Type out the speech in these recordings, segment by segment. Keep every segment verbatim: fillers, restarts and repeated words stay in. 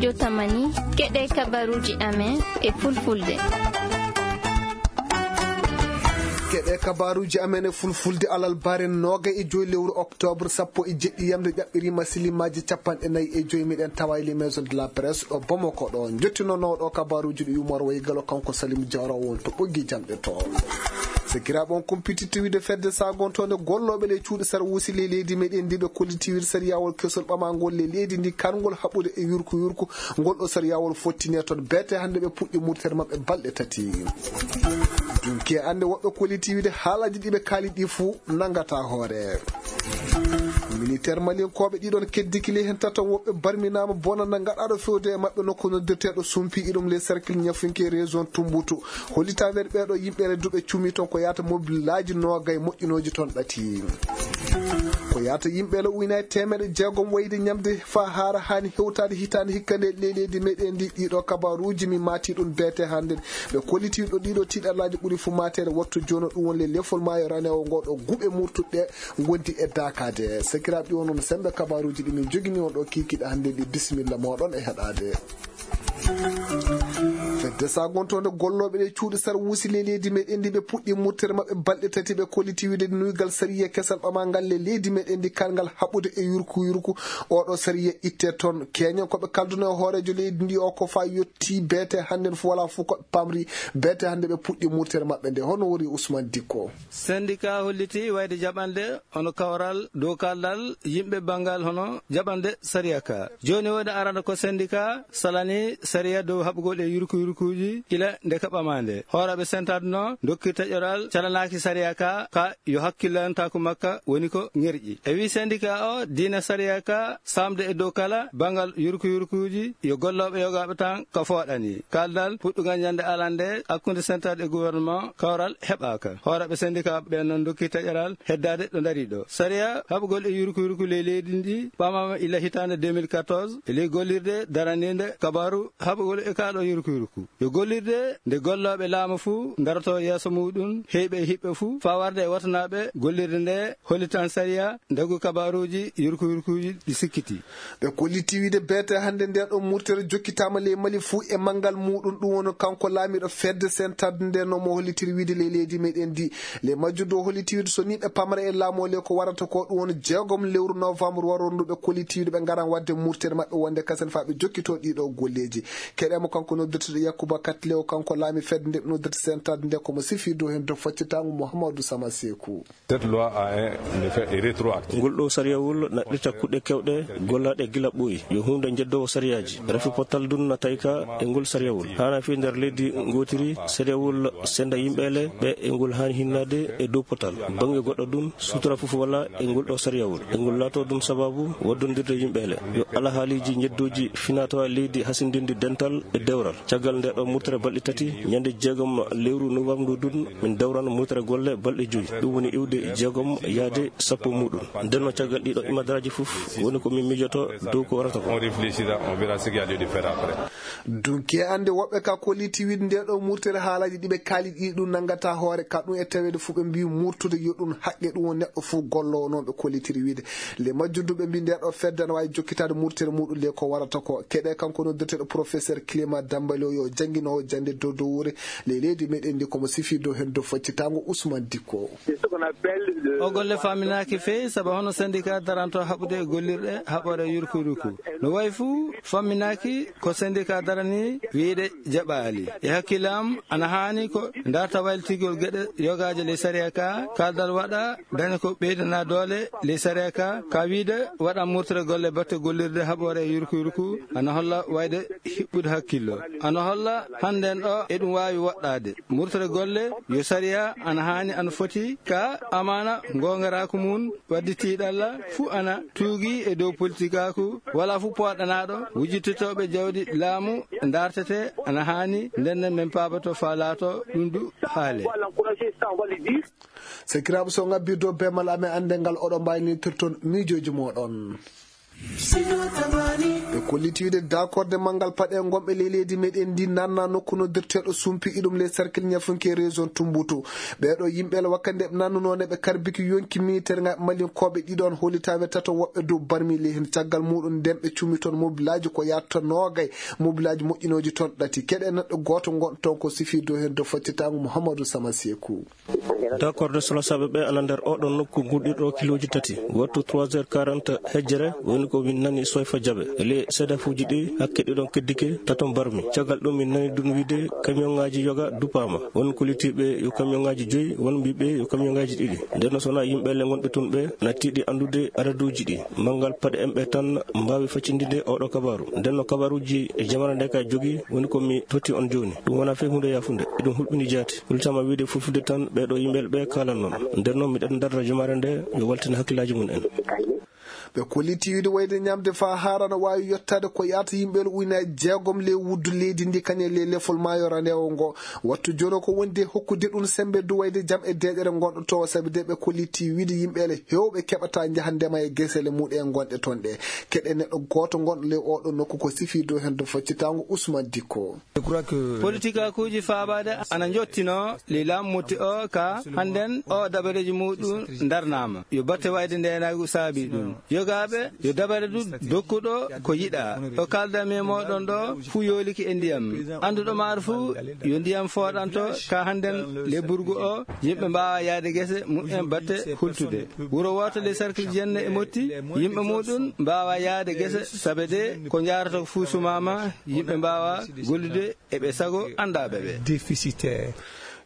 Jotamani, keɗe kabaruuji amen e fulfulde. Keɗe kabaruuji amen e fulfulde alal bare noga e joy lewru octobre sappo e jeɗɗi yamde ƴaɓɓirima silimaaji capanɗe nayi e joy. Miɗen tawa e les maisons de la presse ɗo Bamako ɗo. Jottinonooɗo kabaruuji ɗi Umar Waygalo, kanko Salim Diawara won to ɓoggi jamɗe to. Sakiraaɓe, on kumpititti wiide fedde sagontonde gollooɓe le cuuɗi sar wuusi le leydi meɗen ndi ɓe kolliti wiide sariyawol kesol ɓamangol le leydi ndi, karngol haɓude e yurku yurku, ngol ɗo sariyawol fottine toon. Beete hannde ɓe puɗɗi murtere maɓɓe balɗe tati. Dunki e annde woɓɓe kolliti wiide haalaji ɗi ɓe kaali ɗi fuu nangata hoore. Militaire malinkooɓe ɗiɗon keddikile heen tato woɓɓe barminaama bonanda gaɗaaɗo fewde e maɓɓe nokku noddirteeɗo Sumpi, iɗum les cercle ñafunke région Tumbutu. Hollitaandeeɗo ɓeeɗo yimɓeele duuɓe cumi toon ko yaata mobilaaji noogay moƴƴinooji toon ɗati. Ko yaata yimɓeele uynaye teemeɗe jeegom wayde ñamde faa haara haani hewtaade hitaande hikka nde le leydi meɗen ndi. Ɗiɗo kabaruuji mi maati ɗum beete hannde. Ɓe kolliti ɗo ɗiɗo tiiɗallaaji ɓuri fu maateede wattu jooni ɗum woni le lefol maayo ranewo ngo ɗo guuɓe murtuɗe ngondi e daakaade. Sakiraaɓe, ɗi won on sembe kabaruuji ɗi min jogini on ɗo kiikiɗe hannde ɗi. Bisimilla mooɗon e heɗaade. Fedde sagontonde gollooɓe ɗe cuuɗi sar wuusi le leydi meɗen ndi ɓe puɗɗi murtere maɓɓe balɗe tati ɓe kolliti wiide nuygal sariya kesal ɓamangal le leydi meɗen ndi karngal haɓude e yurku yurku. Oɗo sariya itte toon keñen ko ɓe kalduno e hooreejo leydi ndi o ko fa yotti beete hannde fof wala fof ko ɓe pamri. Beete hannde ɓe puɗɗi murtere maɓɓe nde hono wori Ousmane Dikko. Syndicat holliti wayde jaɓande hono kawral dow kaldal yimɓe banngal hono jaɓande sariya ka. Jooni woni arano ko syndicat salani sariya dow haɓugol e yurku yurkuuji ila nde ka ɓamaande. Hooraaɓe sentade no dokki taƴoral calanaaki sariya ka, ka yo hakkillantaaku makka woni ko ŋerƴi. E wi syndicat o diina sariya ka samde e dow kala banngal yurku yurkuuji yo gollooɓe yogaaɓe tan ka fooɗani. Kaldal puɗɗugal ñande alande hakkunde sentade e gouvernement kawral heɓaaka. Hooreeɓe syndicat ɓe noon dokki taƴoral heddaade ɗo dari ɗo. Sariya haɓugol e yurku yurku ley leydi ndi ɓamaama ila hitaande deux mille quatorze e ley gollirde daraniinde kabaaru haɓugol e kaa ɗo yurku yurku. Yo gollirde nde gollooɓe laamu fuu ndaroto yeeso muuɗum heyɓe e hiɓɓe fuu faa warde e watanaaɓe gollirde nde hollitan sariya ndagu kabaaruuji yurku yurkuuji ɗi sikkiti. Ɓe kolliti wiide beete hannde nden ɗo murtere jokkitaama ley Mali fuu e manngal muuɗum. Ɗum woni kanko laamiiɗo fedde sentade nden no mo hollitiri wiide ley leydi meɗen ndi. Ley majjum dow holliti wiide so ni ɓe pamra e laamu o le ko warata ko ɗum woni jeegom lewru novembre waroru ndu ɓe kolliti wiide ɓe ngaran waɗde murtere maɓɓe wonde kasen faa ɓe jokkito ɗiɗo golleeji. Keɗemo kanko noddirteɗo Yakuba Katlew, kanko laami fedde nde ɓe noddirta sentade nde komo sifi dow heen dow faccitango Mouhamadou Sama Sekou. Cette loi a un effet rétroactif. Ngol ɗo sariyawol naɗɗirta kuɗɗe kewɗe gollaaɗe gila ɓooyi. Yo huunde njeddoowo sariyaaji. Rafi pottal dun na tawi ka e ngol sariyawol. Haana fi nder leydi ngootiri sariyawol senda yimɓeele ɓe e ngol haani hinnaade e dow pottal. Bannge goɗɗo dun sutura fof wala e ngol ɗo sariyawol. E ngol laato dun sababu waddondirde yimɓeele. Yo alahaaliji njeddooji finatawa leydi hasindindi dental e dewral. Caggal nde ɗo murtere balɗe tati, ñande jeegom lewru novembre ndu dun, min dawrano murtere golle balɗe joyi. Ɗum woni iwde jeegom yaade sappo muɗum. Nden no caggal ɗiɗo imadaraaji fof, woni ko min mijoto dow ko warata ko. On réfléchira, on verra ce qu'il y a lieu de faire après. Dunke ande woɓɓe ka kolliti wiide nde ɗo murtere haalaji ɗi ɓe kaali ɗi ɗum nangata hoore ka ɗum e taweede fof ɓe mbi murtude yo ɗum haqqe ɗum woni neɗɗo fof gollowo noon ɓe kollitiri wiide. Le majjum du ɓe mbi nde ɗo fedde ana waawi jokkitaade murtere muɗum le ko warata ko. Keɗe kanko noddirteɗo professeur Clément Dambalo yo jannginowo jannde dow dowre ley leydi meɗen ndi komo sifi dow heen dow faccitango Ousmane Dikko. O golle faminaaki feewi sabu hono syndicat daranto haɓude e gollirɗe haɓore yurku yurku. No wayi fuu faminaaki ko syndicat darani wiide jaɓaali. E hakkille am ana haani ko darta waylitigol geɗe yogaaje ley sariya ka, kaldal waɗa daña ko ɓeydana doole ley sariya ka, ka wiide waɗa murtere golle batte gollirde haɓore e yurku yurku, ana holla wayde hiɓɓude hakkillo. Ana holla hannden ɗo eɗum waawi woɗɗaade. Murtere golle yo sariya ana haani ana foti ka amaana ngongaraaku mum waddi tiiɗalla fuu ana tuugi e dow politikaaku, wala fuu pooɗanaaɗo wujjititooɓe jawdi laamu dartete ana haani, nden nden min paabato faa laato ɗum du haale. Sakiraaɓe, so ngabbirdo be mal amen annde ngal oɗo mbaynitirton miijooji mooɗon. Ɓe kolliti wiide dakorde manngal paɗe ngonɓe ley leydi meɗen ndi nanna nokku noddirteeɗo sumpi iɗum ley cercle ñafunke région Tumbutu. Ɓeeɗo yimɓe le wakkande ɓe nannuno ne ɓe karbiki yonki militaire nga malinkooɓe ɗiɗon holitaɓe tato woɓɓe dow barmi ley hen. Caggal muɗum nden ɓe cumi toon mobilaaji ko yaatta noogay mobilaaji moƴƴinooji toon ɗati. Keɗe neɗɗo gooto ngon toon ko sifi dow hen dow faccitango Mouhamadou Sama Sekou. Dakorde solosaaɓe ɓe ana nder oɗo nokku gurɗiɗo kilooji tati. Wattu trois heures quarante hejjere woni ko min nani Soyfa Jabe. Ele seedafuuji ɗi hakke ɗiɗon keddike taton barmi. Caggal ɗum min nani ɗum wiide kamiyonŋaaji yoga dupaama. Won ko litiiɓe yo kamiyonŋaaji joyi, won mbiiɓe yo kamiyonŋaaji ɗiɗi. Nden no sona yimɓe le ngonɓe tun ɓe nattiiɗi anndude adaduuji ɗi. Manngal paɗe en ɓe tan mbaawi faccindinde oɗo kabaaru. Nden no kabaaruuji e jamana nde ka jogi woni ko mi totti on jooni. Ɗum wona fey huunde yaafunde. Eɗum hulɓini jaati. Hultama wiide fulfulde tan ɓeeɗo yimɓe ɓe kaalan noon. Nder noon miɗen darra jumaare nde yo waltin hakkillaaji mum en. Ɓe kolliti wiide wayde ñamde faa haara no waawi yottaade ko yaata yimɓe ujunaaji jeegom ley wuddu leydi ndi kañe ley lefol maayo randewo ngo. Wattu jono ko wondi e hokkude ɗum sembe du wayde jam e deeƴere ngonɗo to sabi de ɓe kolliti wiide yimɓe le hewɓe keɓata njaha ndema e gesele muɗe ngonɗe toon ɗe. Keɗe neɗɗo gooto ngonɗo ley oɗo nokku ko sifi dow hen do faccitango Ousmane Dikko. Politikakuuji faabaade ana njottinoo ley laamu motti o ka hannden o dabareeji muɗum ndarnaama. Yo batte wayde ndeenaagu saabi ɗum. Yogaaɓe yo dabare du dokkuɗo ko yiɗaa. O kaalda mi e mooɗon ɗo fuu yooliki e ndiyam. Annduɗo maaro fuu yo ndiyam fooɗanto ka hannden le burgu o yimɓe mbaawa yaade gese mumen batte hultude. Wuro wooto le cercle jenne e motti yimɓe muɗum mbaawa yaade gese sabe de ko njaarata ko fuu sumaama yimɓe mbaawa gollude eɓe sago anndaɓe ɓe. Déficitaire.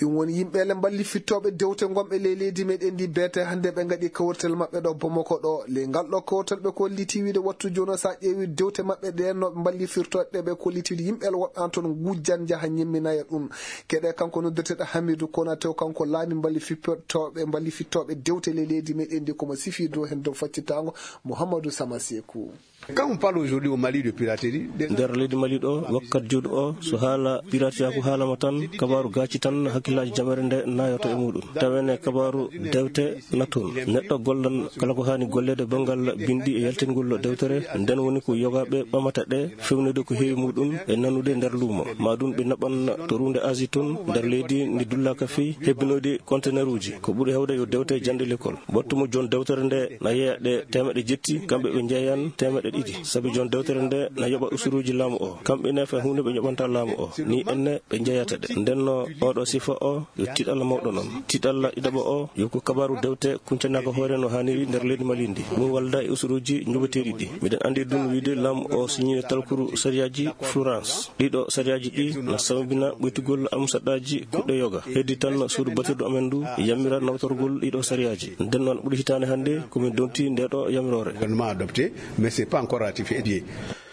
Ɗum woni yimɓe le mballi fittooɓe dewte ngonɓe ley leydi meɗen ndi beete hannde ɓe ngaɗi kawrital maɓɓe ɗo Bamako ɗo. Ley ngal ɗo kawrital ɓe kolliti wiide wattu jono sa ƴeewi dewte maɓɓe ɗen no ɓe mballi firtooɓe ɓe kolliti wiide yimɓe le woɓɓe an toon ngujjan njaha ñemminaya ɗum. Keɗe kanko noddeteɗo Hamidou Konaté o kanko laami mballi fippotooɓe mballi fittooɓe dewte ley leydi meɗen ndi komo sifi dow hen dow faccitango Mouhamadou Sama Sekou. Quand on parle aujourd'hui au Mali de piraterie, nder leydi Mali ɗo wakkat jooni o so haala piratiyaaku haalama tan kabaaru gaaci tan hakkillaaji jamere nde nayoto e muɗum tawene kabaaru dewte natton neɗɗo gollan kala ko haani golleede banngal binndi e yaltingol dewtere nden woni ko yogaaɓe ɓamata ɗe fewnude ko heewi muɗum e nanude nder luumo ma ɗum ɓe naɓan to ruunde Asie toon nder leydi ndi dullaaka fii hebbinoyde conteneruuji ko ɓuri heewde yo dewte janɗe l'école. Wattu mo jon dewtere nde na yeeya ɗe teemeɗe jetti kamɓe ɓe njeeyan teemeɗe ɗiɗi sabi jon dewtere nde na yoɓa usuruuji laamu o kamɓe ne fay huunde ɓe yoɓanta laamu o ni enne ɓe njeeyata ɗe ndenno oɗo sifa o yo tiɗalla mawɗo noon tiɗalla ɗiɗaɓo o yo ko kabaaru dewte kuncanaaka hoore no haaniri nder leydi Mali ndi ɗum walda e usuruuji njoɓeteeɗi ɗi miɗen anndi ɗum wiide laamu o siñiino talkuru sariyaaji Florence ɗiɗo sariyaaji ɗi na sawbina ɓoytugol amsaɗaaji kuɗɗe yoga heddi tan suudu batirɗo amen ndu yammira nawtorgol ɗiɗo sariyaaji nden noon ɓuri hitaande hannde komin donti nde ɗo yamiroore. Gouvernement adopté mais c'est pas encore ratifié.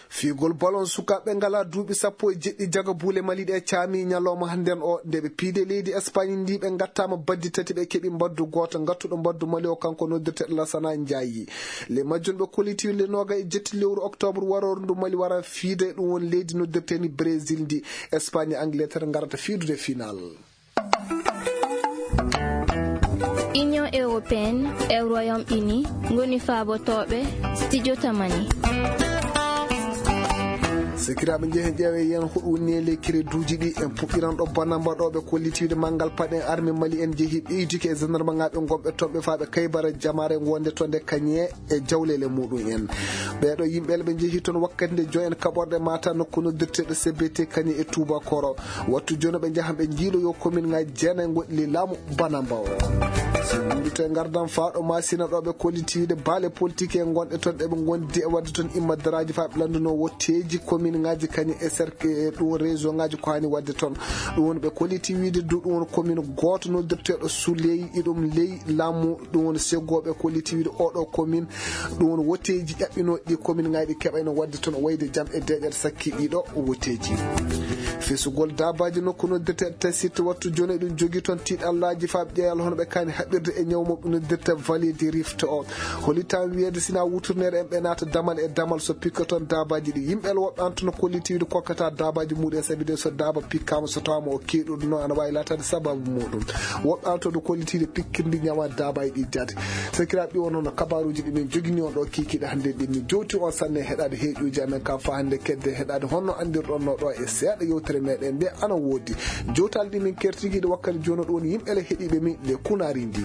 Fiigol balon sukaaɓe ngalaa duuɓi sappo e jeɗɗi jaga buule Mali ɗe caami ñalawma hannden o nde ɓe piide leydi Espagne ndi ɓe ngattaama baddi tati ɓe keɓi mbaddu gooto ngattuɗo mbaddu Mali o kanko noddirteeɗo Lasana Njaayi. Le majjum ɓe kolliti le nooga e jetti lewru octobre waroore ndu Mali wara fiide ɗum woni leydi noddirteeni Brésil ndi Espagne e Angleterre ngarata fiidude final. Union européenne e Royaume-Uni ngoni faabotooɓe studio Tamani. Sikiraaɓe njehen ƴeewe yen huɗu woni e ley créditeuji ɗi en puɗɗiran ɗo banamba ɗo ɓe kollitiiɗe manngal paɗen armée Mali en jehi ɓeydike e gendarme ŋaaɓe gonɓe toon ɓe faaɓe kaybara jamaare wonde toon nde kañe e jawleele muɗum en. Ɓeeɗo yimɓe ɓe njehi toon wakkati nde joyen kaɓorɗe mata nokku noddirteeɗo C B T kañe e Touba Koro. Wattu jooni ɓe njahan ɓe njiiloyo commune ŋaaji jeenayi gonɗi ley laamu Banamba o. So luurite ngardan faaɗo Masina ɗo ɓe kollitiiɗe baale politique e gonɗe toon ɗe ɓe ngondi e waɗde toon immadaraaji faa ɓe lanndunoo wotteeji commune ŋaaji kañe e cercle e ɗum région ŋaaji ko haani waɗde toon. Ɗum woni ɓe kolliti wiide du ɗum woni commune gooto noddirteeɗo Souley iɗum ley laamu ɗum woni seggooɓe kolliti wiide oɗo commune ɗum woni wotteeji ƴaɓɓinooɗi ɗi commune ŋaaji ɗi keɓayno waɗde toon wayde jam e deeƴere sakki ɗiɗo wotteeji. Fesugol daabaaji nokku noddirte test site wattu jooni, ɗum jogii toon tiiɗallaaji faa ɓe ƴeewa hono ɓe kaani haɓirde e ñaw mo ɓe noddirta vallée du rift o. Hollitaa wiyeede sinaa wuturneere en ɓe naata damal e damal so pikka toon daabaaji ɗi. Yimɓe woɓɓe an toon kollitiiɗo kokkata daabaaji muɗum en sabi de so daaba pikkaama so tawaama o keeɗuɗo noon ana waawi laataade sababu muɗum. Woɓɓe an toon kollitiiɗo pikkirdi ñawa daabaaji ɗi jaati. Sakiraaɓe, ɗi won hono kabaaruuji ɗi min jogini on ɗo kiikiiɗe hannde ɗin. Min jowti on sanne heɗaade heeƴuuji amen ka faa hannde kedde heɗaade honno anndirɗon no ɗo e seeɗa yewtere meɗen nde ana woodi. Jowtaali ɗi min kertigiiɗe wakkati jooni ɗo woni yimɓe le heɗiiɓe min le kunaari ndi.